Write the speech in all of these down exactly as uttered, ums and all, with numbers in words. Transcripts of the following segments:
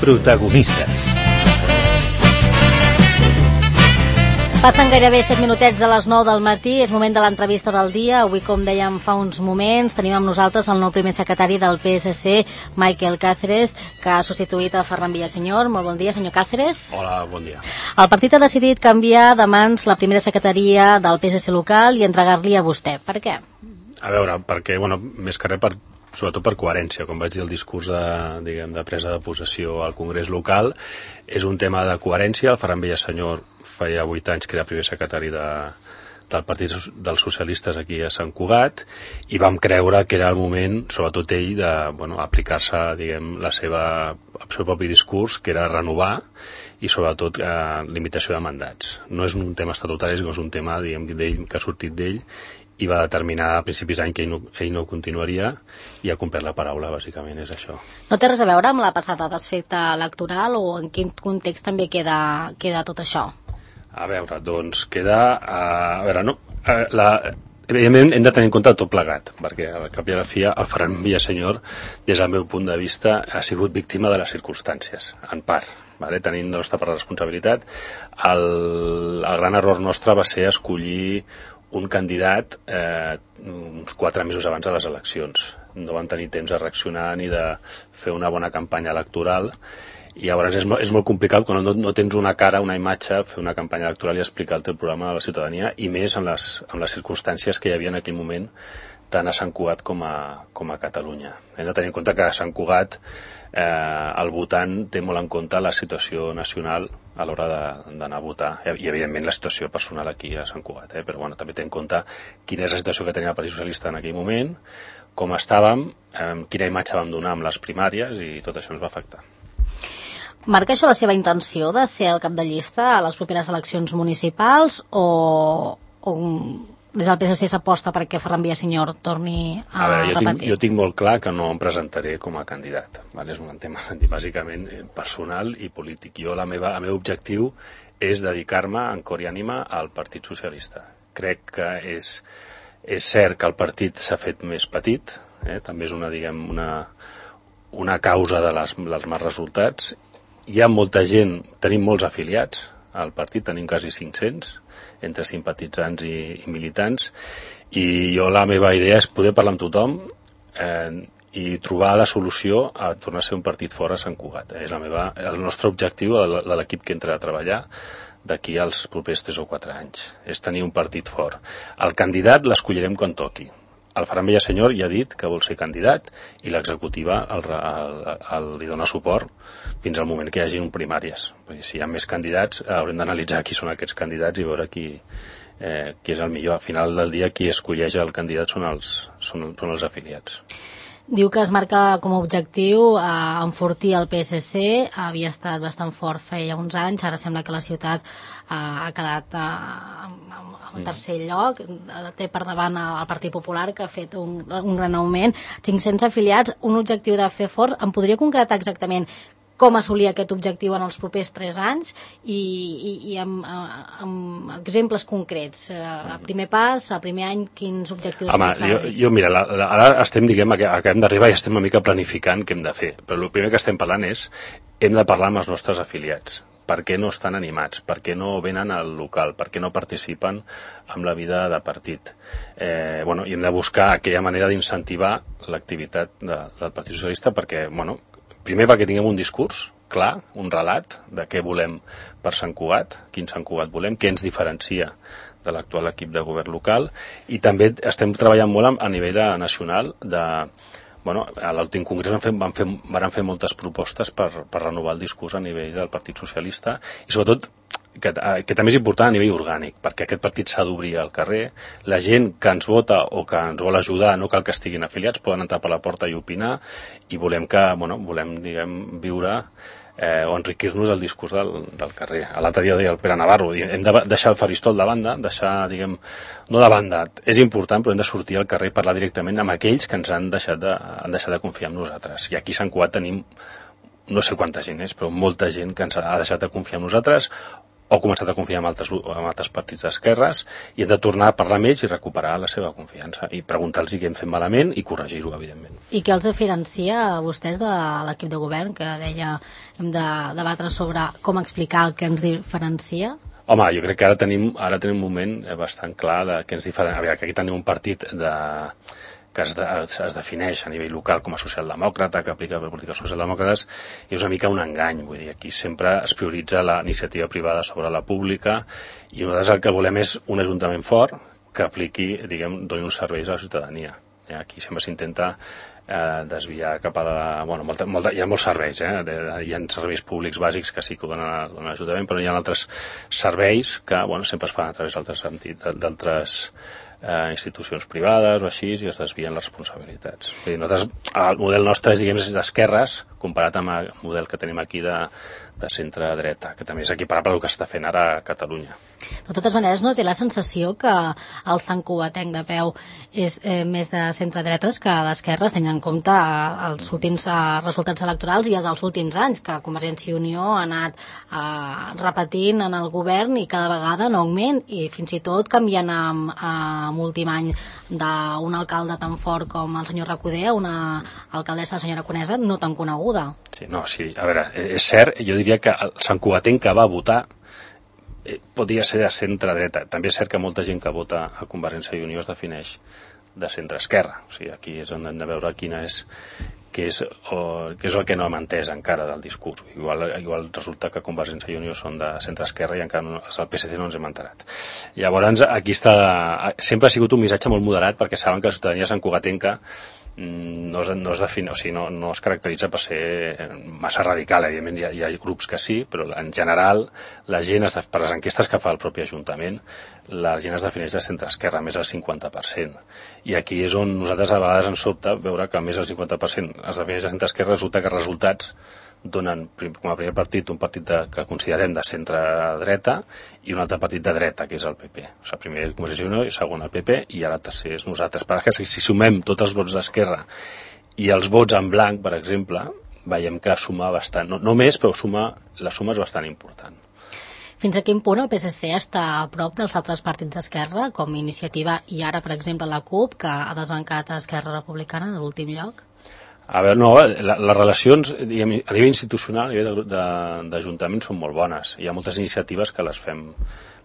Protagonistes. Passen gairebé set minutets de les nou del matí, és moment de l'entrevista del dia. Avui, com dèiem fa uns moments, tenim amb nosaltres el nou primer secretari del P S C, Michael Cáceres, que ha substituït a Ferran Villaseñor. Molt bon dia, senyor Cáceres. Hola, bon dia. El partit ha decidit canviar de mans la primera secretaria del P S C local i entregar-li a vostè. Per què? A veure, perquè, bueno, més que res per sobretot per coherència, com vaig dir el discurs de, diguem, de presa de possessió al Congrés local, és un tema de coherència. El Ferran Villaseñor feia vuit anys que era primer secretari de, del Partit dels Socialistes aquí a Sant Cugat, i vam creure que era el moment, sobretot ell, de bueno, aplicar-se, diguem, la seva, el seu propi discurs, que era renovar, i sobretot eh, limitació de mandats. No és un tema estatutari, sinó és un tema, diguem, d'ell, que ha sortit d'ell, i va determinar a principis d'any que ell no, ell no continuaria, i ha complert la paraula, bàsicament, és això. No té res a veure amb la passada desfeta electoral, o en quin context també queda, queda tot això? A veure, doncs queda... A, a veure, no... A, la, evidentment hem de tenir en compte tot plegat, perquè al cap i a la fi el Ferran Villaseñor, des del meu punt de vista, ha sigut víctima de les circumstàncies, en part. Vale? Tenint la nostra part de responsabilitat, el, el gran error nostre va ser escollir un candidat eh, uns quatre mesos abans de les eleccions. No vam tenir temps de reaccionar ni de fer una bona campanya electoral, i llavors és, és molt complicat quan no, no tens una cara, una imatge, fer una campanya electoral i explicar el teu programa a la ciutadania, i més en les, en les circumstàncies que hi havia en aquell moment, tant a Sant Cugat com a, com a Catalunya. Hem de tenir en compte que a Sant Cugat eh, el votant té molt en compte la situació nacional a l'hora d'anar a votar, i evidentment la situació personal aquí a Sant Cugat, eh? Però bueno, també té en compte quina és la situació que tenia el Partit Socialista en aquell moment, com estàvem, eh, quina imatge vam donar amb les primàries, i tot això ens va afectar. Marca això la seva intenció de ser el cap de llista a les properes eleccions municipals, o, o des del P S C s'aposta perquè Ferran Villaseñor torni a, a veure, jo repetir? Tinc, jo tinc molt clar que no em presentaré com a candidat, vale? És un tema bàsicament personal i polític. Jo la meva, el meu objectiu és dedicar-me en cor i ànima al Partit Socialista. Crec que és, és cert que el partit s'ha fet més petit, eh? També és una, diguem, una, una causa de les, dels mals resultats. Hi ha molta gent, tenim molts afiliats al partit, tenim quasi cinc-cents, entre simpatitzants i, i militants, i jo la meva idea és poder parlar amb tothom eh, i trobar la solució a tornar a ser un partit fora a Sant Cugat. És la meva, el nostre objectiu de l'equip que entra a treballar d'aquí als propers tres o quatre anys, és tenir un partit fort. El candidat l'escollirem quan toqui. El Ferran Villaseñor ja ha dit que vol ser candidat, i l'executiva el, el, el, li dona suport fins al moment que hi hagi un primàries. Si hi ha més candidats, haurem d'analitzar qui són aquests candidats i veure qui, eh, qui és el millor. Al final del dia, qui escolleix el candidat són els, són, són els afiliats. Diu que es marca com a objectiu eh, enfortir el P S C. Havia estat bastant fort feia uns anys, ara sembla que la ciutat eh, ha quedat eh, en tercer lloc, té per davant el Partit Popular, que ha fet un, un gran augment, cinc-cents afiliats, un objectiu de fer fort. Em podria concretar exactament com assolir aquest objectiu en els propers tres anys, i, i, i amb, amb exemples concrets? El primer pas, el primer any, quins objectius Home, més bàsics? Jo, jo, mira, la, la, ara estem, diguem, acabem d'arribar i estem una mica planificant què hem de fer, però el primer que estem parlant és, hem de parlar amb els nostres afiliats. Per què no estan animats? Per què no venen al local? Per què no participen en la vida de partit? Eh, bueno, i hem de buscar aquella manera d'incentivar l'activitat de, del Partit Socialista, perquè, bueno, primer perquè tinguem un discurs clar, un relat de què volem per Sant Cugat, quin Sant Cugat volem, què ens diferencia de l'actual equip de govern local, i també estem treballant molt a nivell de, nacional de... Bueno, a l'últim congrés van fer, van, fer, van fer moltes propostes per, per renovar el discurs a nivell del Partit Socialista, i sobretot, que, que també és important a nivell orgànic, perquè aquest partit s'ha d'obrir al carrer. La gent que ens vota o que ens vol ajudar no cal que estiguin afiliats, poden entrar per la porta i opinar, i volem que, bueno, volem, diguem, viure eh, o enriquir-nos del discurs del, del carrer. L'altre dia deia el Pere Navarro, hem de deixar el faristol de banda, deixar, diguem, no de banda, és important, però hem de sortir al carrer i parlar directament amb aquells que ens han deixat de, han deixat de confiar en nosaltres. I aquí a Sant Cugat tenim, no sé quanta gent és, però molta gent que ens ha deixat de confiar en nosaltres, o començat a confiar en altres, en altres partits d'esquerres, i hem de tornar a parlar amb ells i recuperar la seva confiança i preguntar-los què hem fet malament i corregir-ho, evidentment. I què els diferencia a vostès de l'equip de govern, que deia hem de debatre sobre com explicar el que ens diferencia? Home, jo crec que ara tenim, ara tenim un moment bastant clar de que ens diferencia. A veure, que aquí tenim un partit de, que es, de, es defineix a nivell local com a socialdemòcrata, que aplica polítiques socialdemòcrates, i és una mica un engany. Vull dir, aquí sempre es prioritza la iniciativa privada sobre la pública, i nosaltres el que volem és un ajuntament fort que apliqui, diguem, doni uns serveis a la ciutadania. Aquí sempre s'intenta eh, desviar cap a la... Bueno, molta, molta, hi ha molts serveis, eh? Hi ha serveis públics bàsics que sí que ho donen, donen l'Ajuntament, però hi ha altres serveis que, bueno, sempre es fan a través d'altres eh, institucions privades o així, i es desvien les responsabilitats. Vull dir, nosaltres, el model nostre és, diguem, d'esquerres, comparat amb el model que tenim aquí de, de centre-dreta, que també és equiparable al que està fent ara a Catalunya. De totes maneres, no té la sensació que el Sant Cugatenc de peu és eh, més de centre-dretes que d'esquerres, tenint en compte els últims eh, resultats electorals i els dels últims anys, que Convergència i Unió ha anat eh, repetint en el govern i cada vegada en augment, i fins i tot canviant amb, amb últim any d'un alcalde tan fort com el senyor Recoder a una alcaldessa, la senyora Conesa, no tan coneguda. Sí, no, sí, a veure, és cert, jo diria que el Sant Cugatenc que va votar podria ser de centre-dreta. També és cert que molta gent que vota a Convergència i Unió es defineix de centre-esquerra. O sigui, aquí és on hem de veure quina és, què és, o, què és el que no hem entès encara del discurs. Igual, igual resulta que Convergència i Unió són de centre-esquerra i encara no, el P S C no ens hem enterat. Llavors, aquí està... Sempre ha sigut un missatge molt moderat, perquè saben que la ciutadania santcugatenca no es, no, es define, o sigui, no, no es caracteritza per ser massa radical. Evidentment hi ha, hi ha grups que sí, però en general la gent, es, per les enquestes que fa el propi Ajuntament, la gent es defineix de centre-esquerra, més del cinquanta per cent. I aquí és on nosaltres a vegades ens sobta veure que més del cinquanta per cent es defineix de centre-esquerra, resulta que els resultats donen com a primer partit un partit de, que considerem de centre-dreta i un altre partit de dreta, que és el P P. O sigui, primer Convergència i Unió i segon el P P, i ara tercer és nosaltres. Per que si sumem tots els vots d'esquerra i els vots en blanc, per exemple, veiem que suma bastant, no, no més, però suma, la suma és bastant important. Fins a quin punt el P S C està a prop dels altres partits d'esquerra, com Iniciativa i ara, per exemple, la CUP, que ha desbancat a Esquerra Republicana de l'últim lloc? A veure, no, la, les relacions diguem, a nivell institucional, a nivell d'Ajuntament, són molt bones. Hi ha moltes iniciatives que les fem,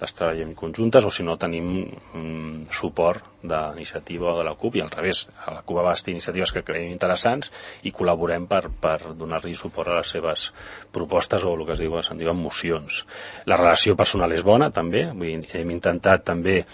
les treballem conjuntes, o si no tenim mm, suport d'Iniciativa o de la CUP, i al revés, a la CUP va bastir iniciatives que creiem interessants i col·laborem per, per donar-li suport a les seves propostes o el que es diu, se'n diuen mocions. La relació personal és bona, també, vull dir, hem intentat també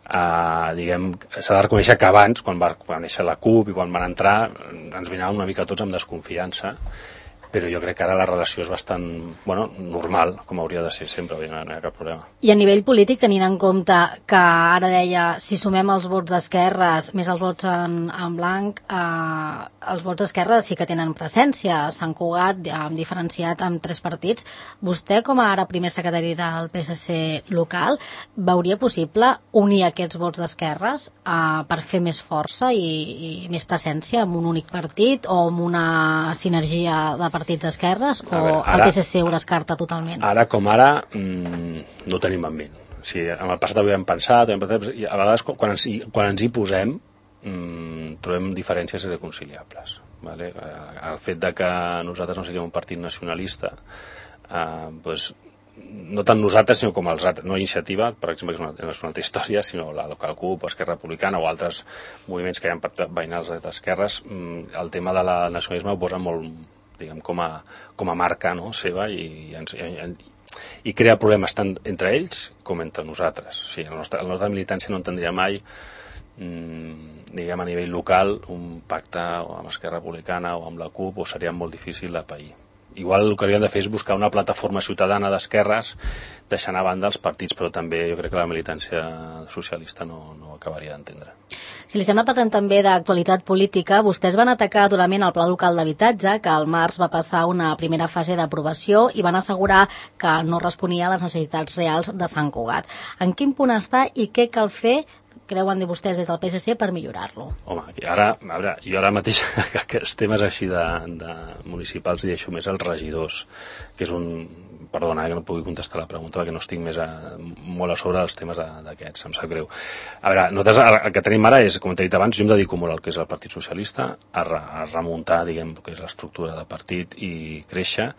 Uh, diguem, s'ha de reconèixer que abans, quan va, quan va néixer la CUP i quan van entrar, ens miraven una mica tots amb desconfiança, però jo crec que ara la relació és bastant, bueno, normal, com hauria de ser sempre, no hi ha cap problema. I a nivell polític, tenint en compte que ara deia, si sumem els vots d'esquerres més els vots en, en blanc, eh, els vots d'esquerra sí que tenen presència. Sant Cugat, hem diferenciat amb tres partits. Vostè, com a ara primer secretari del P S C local, veuria possible unir aquests vots d'esquerres eh, per fer més força i, i més presència amb un únic partit o amb una sinergia de partits d'esquerres, o veure, ara, el P S C ho descarta totalment? Ara com ara mmm, no tenim en ment. O sigui, en el passat ho hem pensat, hem pensat, i a vegades quan ens, quan ens hi posem mmm, trobem diferències irreconciliables. Vale? El fet de que nosaltres no siguem un partit nacionalista, eh, doncs, no tant nosaltres sinó com els altres, no Iniciativa, per exemple, que és una, és una altra història, sinó la local CUP o Esquerra Republicana o altres moviments que hi ha veïnals d'esquerres, el tema de la nacionalisme ho posa molt, diguem, com a, com a marca, no, seva, i, i, i, i crea problemes tant entre ells com entre nosaltres. O sigui, la nostra, la nostra militància no entendria mai mmm, diguem, a nivell local un pacte amb Esquerra Republicana o amb la CUP, o seria molt difícil de pair. Igual el que hauríem de fer és buscar una plataforma ciutadana d'esquerres, deixant a banda els partits, però també jo crec que la militància socialista no, no acabaria d'entendre. Si li sembla, parlem també d'actualitat política. Vostès van atacar durament el Pla Local d'Habitatge, que al març va passar una primera fase d'aprovació, i van assegurar que no responia a les necessitats reals de Sant Cugat. En quin punt està i què cal fer, creuen de vostès des del P S C, per millorar-lo? Home, ara, a veure, jo ara mateix aquests temes així de, de municipals hi deixo més als regidors, que és un perdona, que no pugui contestar la pregunta perquè no estic més a, molt a sobre dels temes d'aquests, em sap greu. A veure, nosaltres el que tenim ara és, com t'he dit abans, jo em dedico molt al que és el Partit Socialista, a, re, a remuntar, diguem, el que és l'estructura de partit i créixer,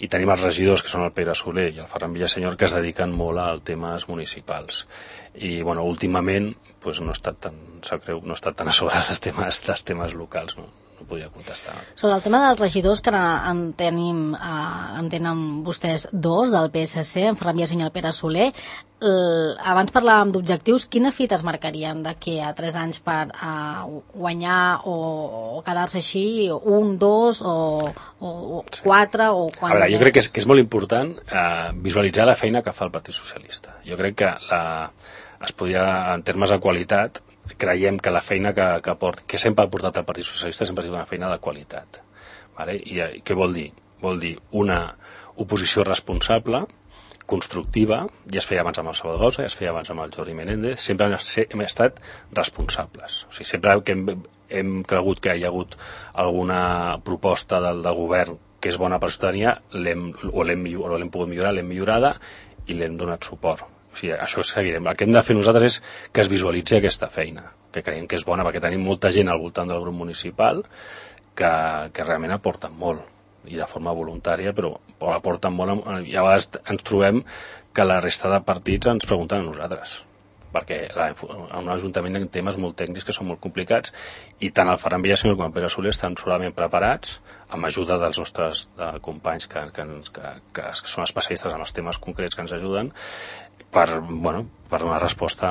i tenim els regidors, que són el Pere Soler i el Ferran Villasenyor, que es dediquen molt als temes municipals. I, bueno, últimament, pues, no he estat tan, sap greu, no he estat tan a sobre dels temes, dels temes locals, no? No podria contestar. Sobre el tema dels regidors, que en tenim, eh, en tenen vostès dos del P S C, en Ferran Villasenyor i el Pere Soler. El, abans parlàvem d'objectius, quina fita es marcarien d'aquí a tres anys per eh, guanyar o, o quedar-se així, un, dos o, o sí. quatre o quan... A veure, jo crec que és, que és molt important eh, visualitzar la feina que fa el Partit Socialista. Jo crec que la, es podia, en termes de qualitat, creiem que la feina que, que, port, que sempre ha portat el Partit Socialista sempre ha sigut una feina de qualitat. Vale? I, I què vol dir? Vol dir una oposició responsable, constructiva, ja es feia abans amb el Salvador Gausa, ja es feia abans amb el Jordi Menéndez, sempre hem, hem estat responsables. O sigui, sempre que hem, hem cregut que hi ha hagut alguna proposta del, del govern que és bona per la ciutadania, l'hem, o l'hem pogut millorar, l'hem millorada i l'hem donat suport. O sigui, això seguirem. El que hem de fer nosaltres és que es visualitzi aquesta feina, que creiem que és bona, perquè tenim molta gent al voltant del grup municipal que, que realment aporten molt, i de forma voluntària, però aporten molt, i a vegades ens trobem que la resta de partits ens pregunten a nosaltres, perquè la, un ajuntament en temes molt tècnics que són molt complicats, i tant el Ferran Villasenyor com el Pere Soler estan solament preparats, amb ajuda dels nostres de, companys que, que, que, que són especialistes en els temes concrets que ens ajuden, per, bueno, per donar resposta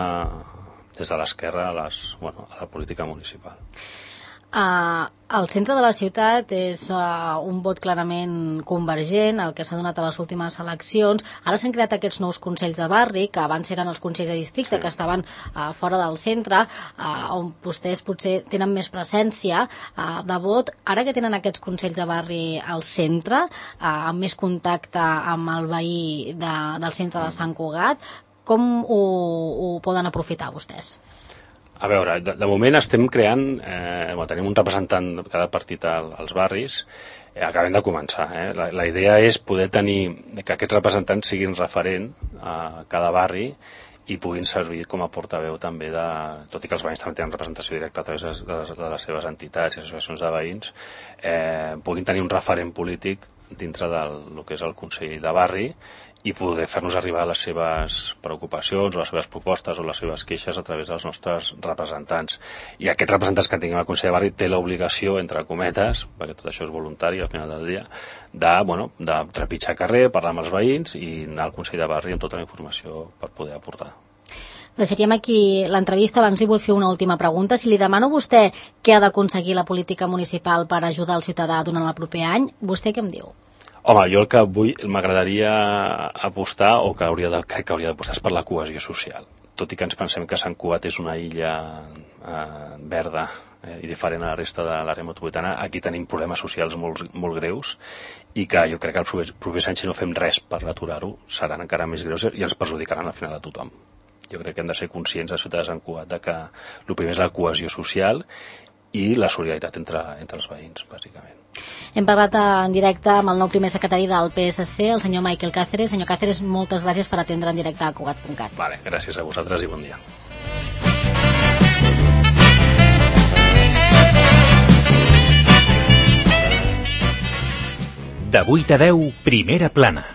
des de l'esquerra a, les, bueno, a la política municipal. Uh, el centre de la ciutat és uh, un vot clarament convergent, el que s'ha donat a les últimes eleccions. Ara s'han creat aquests nous consells de barri, que abans eren els consells de districte, sí. que estaven uh, fora del centre, uh, on vostès potser tenen més presència uh, de vot. Ara que tenen aquests consells de barri al centre, uh, amb més contacte amb el veí de, del centre de Sant Cugat, com ho, ho poden aprofitar vostès? A veure, de, de moment estem creant, eh, bueno, tenim un representant de cada partit al, als barris, eh, acabem de començar. Eh? La, la idea és poder tenir, que aquests representants siguin referent a cada barri i puguin servir com a portaveu també de, tot i que els veïns també tenen representació directa a través de les, de les seves entitats i associacions de veïns, eh, puguin tenir un referent polític dintre del el que és el Consell de Barri i poder fer-nos arribar les seves preocupacions o les seves propostes o les seves queixes a través dels nostres representants. I aquests representants que tinguem al Consell de Barri té l'obligació, entre cometes, perquè tot això és voluntari al final del dia, de, bueno, de trepitjar carrer, parlar amb els veïns i anar al Consell de Barri amb tota la informació per poder aportar. Deixaríem aquí l'entrevista. Abans li vull fer una última pregunta. Si li demano a vostè què ha d'aconseguir la política municipal per ajudar el ciutadà durant el proper any, vostè què em diu? Home, jo el que vull, m'agradaria apostar, o que hauria de, crec que hauria d'apostar, és per la cohesió social. Tot i que ens pensem que Sant Cugat és una illa eh, verda eh, i diferent a la resta de l'àrea metropolitana, aquí tenim problemes socials molt, molt greus i que jo crec que el proper, proper any, si no fem res per aturar-ho, seran encara més greus i ens perjudicaran al final a tothom. Jo crec que hem de ser conscients, a ciutat de Sant Cugat, de que el primer és la cohesió social i la solidaritat entre, entre els veïns, bàsicament. Hem parlat en directe amb el nou primer secretari del P S C, el senyor Michael Cáceres. Senyor Cáceres, moltes gràcies per atendre en directe a Cugat punt cat. Vale, gràcies a vosaltres i bon dia. De vuit a deu, Primera Plana.